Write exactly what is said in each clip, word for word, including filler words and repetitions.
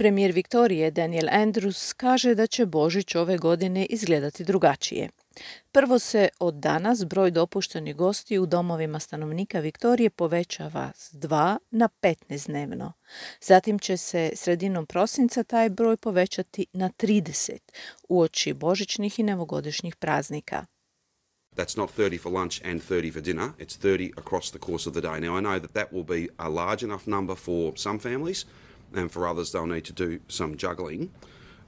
Premijer Viktorije Daniel Andrews kaže da će Božić ove godine izgledati drugačije. Prvo se od danas broj dopuštenih gostiju u domovima stanovnika Viktorije povećava s dva na petnaest dnevno. Zatim će se sredinom prosinca taj broj povećati na trideset uoči božićnih i novogodišnjih praznika. That's not thirty for lunch and thirty for dinner, it's thirty across the course of the day. Now I know that that will be a large enough number for some families, and for others they'll need to do some juggling.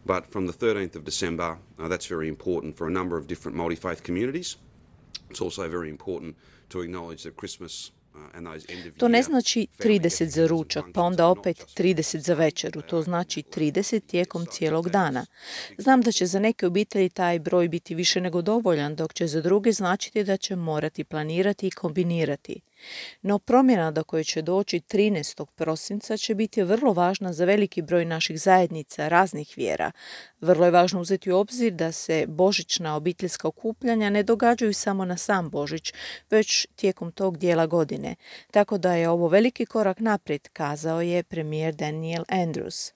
But from the thirteenth of December, uh, that's very important for a number of different multi-faith communities. It's also very important to acknowledge that Christmas uh, and those end of year... To ne znači trideset za ručak, pa onda opet trideset za večeru. To znači trideset tijekom cijelog dana. Znam da će za neke obitelji taj broj biti više nego dovoljan, dok će za druge značiti da će morati planirati i kombinirati. No promjena do koje će doći trinaestog prosinca će biti vrlo važna za veliki broj naših zajednica raznih vjera. Vrlo je važno uzeti u obzir da se božićna obiteljska okupljanja ne događaju samo na sam Božić, već tijekom tog dijela godine. Tako da je ovo veliki korak naprijed, kazao je premijer Daniel Andrews.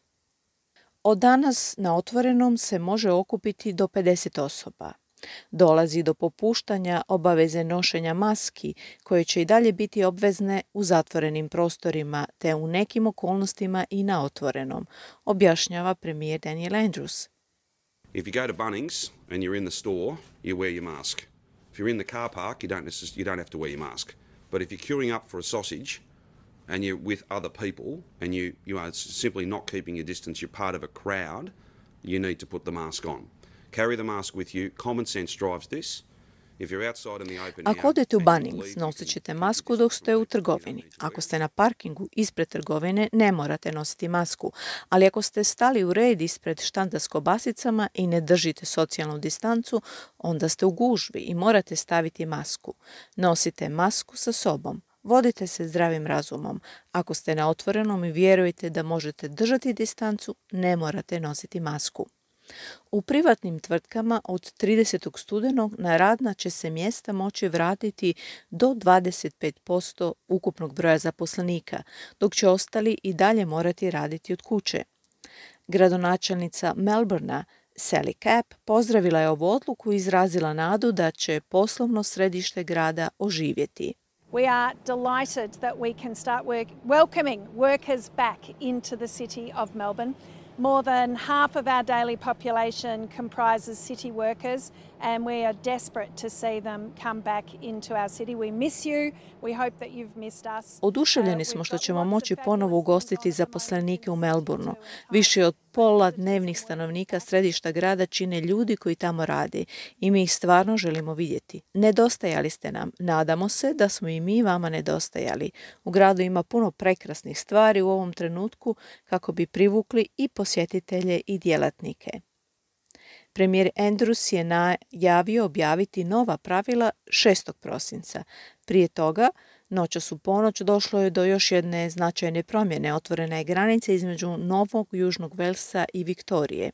Od danas na otvorenom se može okupiti do pedeset osoba. Dolazi do popuštanja obaveze nošenja maski, koje će i dalje biti obvezne u zatvorenim prostorima, te u nekim okolnostima i na otvorenom, objašnjava premijer Daniel Andrews. If you go to Bunnings and you're in the store, you wear your mask. If you're in the car park, you don't necess- you don't have to wear your mask. But if you're queuing up for a sausage and you're with other people and you, you are simply not keeping your distance, you're part of a crowd, you need to put the mask on. Carry the mask with you. Common sense drives this. If you're outside in the open air, Ako odete u Bunnings, nosit ćete masku dok ste u trgovini. Ako ste na parkingu ispred trgovine, ne morate nositi masku. Ali ako ste stali u red ispred štanda s kobasicama i ne držite socijalnu distancu, onda ste u gužvi i morate staviti masku. Nosite masku sa sobom. Vodite se zdravim razumom. Ako ste na otvorenom i vjerujete da možete držati distancu, ne morate nositi masku. U privatnim tvrtkama od tridesetog studenog na radna će se mjesta moći vratiti do dvadeset pet posto ukupnog broja zaposlenika, dok će ostali i dalje morati raditi od kuće. Gradonačelnica Melbournea Sally Capp pozdravila je ovu odluku i izrazila nadu da će poslovno središte grada oživjeti. We are delighted that we can start work, welcoming workers back into the city of Melbourne. More than half of our daily population comprises city workers, and we are desperate to see them come back into our city. We miss you. We hope that you've missed us. Oduševljeni smo što ćemo moći ponovo ugostiti zaposlenike u Melbourneu. Više od pola dnevnih stanovnika središta grada čine ljudi koji tamo rade i mi ih stvarno želimo vidjeti. Nedostajali ste nam. Nadamo se da smo i mi vama nedostajali. U gradu ima puno prekrasnih stvari u ovom trenutku kako bi privukli i posjetitelje i djelatnike. Premijer Andrews je najavio objaviti nova pravila šestog prosinca. Prije toga, noćas u ponoć, došlo je do još jedne značajne promjene. Otvorena je granica između Novog Južnog Velsa i Viktorije.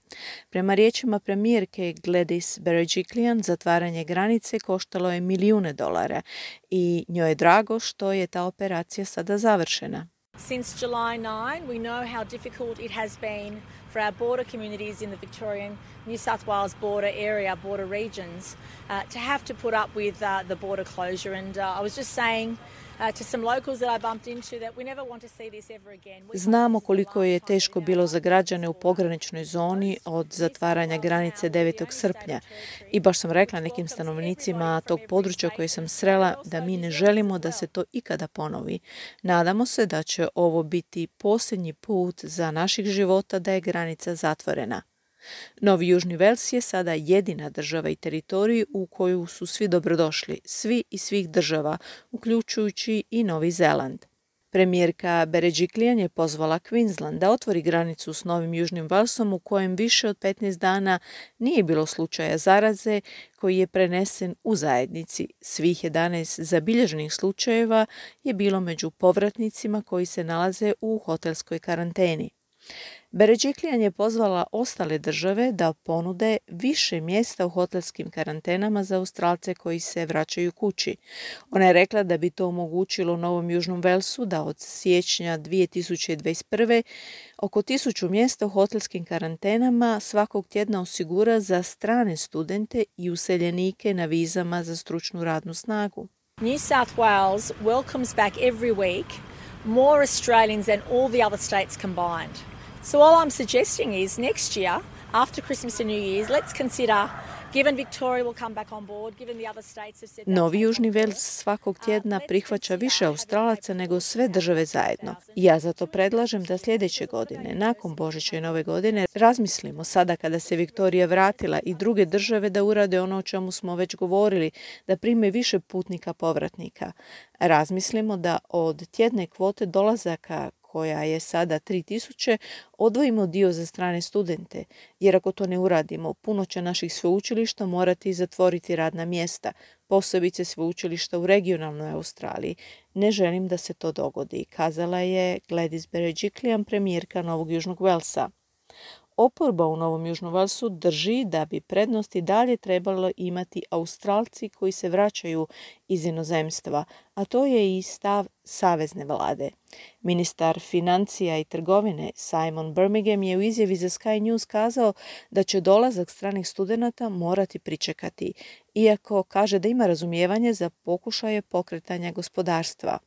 Prema riječima premijerke Gladys Berejiklian, zatvaranje granice koštalo je milijune dolara i njoj je drago što je ta operacija sada završena. Since July ninth, we know how difficult it has been for our border communities in the Victorian, New South Wales border area, border regions, uh, to have to put up with uh, the border closure. And uh, I was just saying uh, to some locals that I bumped into that we never want to see this ever again. Znamo koliko je teško bilo za građane u pograničnoj zoni od zatvaranja granice devetog srpnja. I baš sam rekla nekim stanovnicima tog područja koje sam srela da mi ne želimo da se to ikada ponovi. Nadamo se da će ovo biti posljednji put za naših života da je granica zatvorena. Novi Južni Vels je sada jedina država i teritorij u koju su svi dobrodošli, svi iz svih država, uključujući i Novi Zeland. Premijerka Berejiklian je pozvala Queensland da otvori granicu s Novim Južnim Velsom u kojem više od petnaest dana nije bilo slučaja zaraze koji je prenesen u zajednici. Svih jedanaest zabilježenih slučajeva je bilo među povratnicima koji se nalaze u hotelskoj karanteni. Berejiklian je pozvala ostale države da ponude više mjesta u hotelskim karantenama za Australce koji se vraćaju kući. Ona je rekla da bi to omogućilo Novom Južnom Velsu da od siječnja dvije tisuće dvadeset prve oko tisuću mjesta u hotelskim karantenama svakog tjedna osigura za strane studente i useljenike na vizama za stručnu radnu snagu. New South Wales welcomes back every week more Australians than all the other states combined. So all I'm suggesting is next year, after Christmas and New Year's, let's consider, given Victoria will come back on board, given the other states have said... Novi Južni Vels svakog tjedna prihvaća više Australaca nego sve države zajedno. Ja zato predlažem da sljedeće godine, nakon Božića i Nove godine, razmislimo sada kada se Viktorija vratila i druge države da urade ono o čemu smo već govorili, da prime više putnika povratnika. Razmislimo da od tjedne kvote dolazaka koja je sada tri tisuće, odvojimo dio za strane studente, jer ako to ne uradimo, puno će naših sveučilišta morati zatvoriti radna mjesta, posebice sveučilišta u regionalnoj Australiji. Ne želim da se to dogodi, kazala je Gladys Berejiklian, premijerka Novog Južnog Velsa. Oporba u Novom Južnom Velsu drži da bi prednost i dalje trebalo imati Australci koji se vraćaju iz inozemstva, a to je i stav savezne vlade. Ministar financija i trgovine Simon Birmingham je u izjavi za Sky News kazao da će dolazak stranih studenata morati pričekati, iako kaže da ima razumijevanje za pokušaje pokretanja gospodarstva.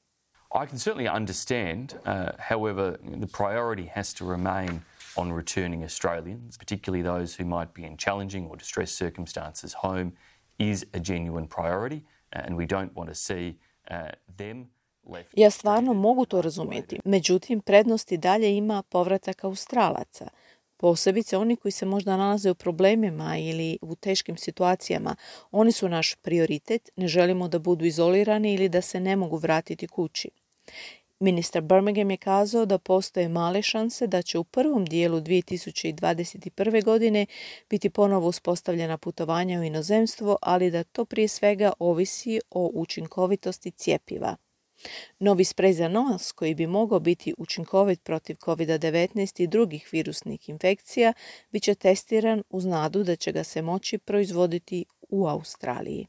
I can certainly understand, uh, however, the priority has to remain on returning Australians, particularly those who might be in challenging or distressed circumstances home, is a genuine priority, and we don't want to see uh, them left. Ja stvarno mogu to razumjeti. Međutim, prednost i dalje ima povratak Australaca. Posebice oni koji se možda nalaze u problemima ili u teškim situacijama. Oni su naš prioritet, ne želimo da budu izolirani ili da se ne mogu vratiti kući. Ministar Birmingham je kazao da postoje male šanse da će u prvom dijelu dvije tisuće dvadeset prve. godine biti ponovo uspostavljena putovanja u inozemstvo, ali da to prije svega ovisi o učinkovitosti cjepiva. Novi sprej za nos, koji bi mogao biti učinkovit protiv kovid devetnaest i drugih virusnih infekcija, bit će testiran uz nadu da će ga se moći proizvoditi u Australiji.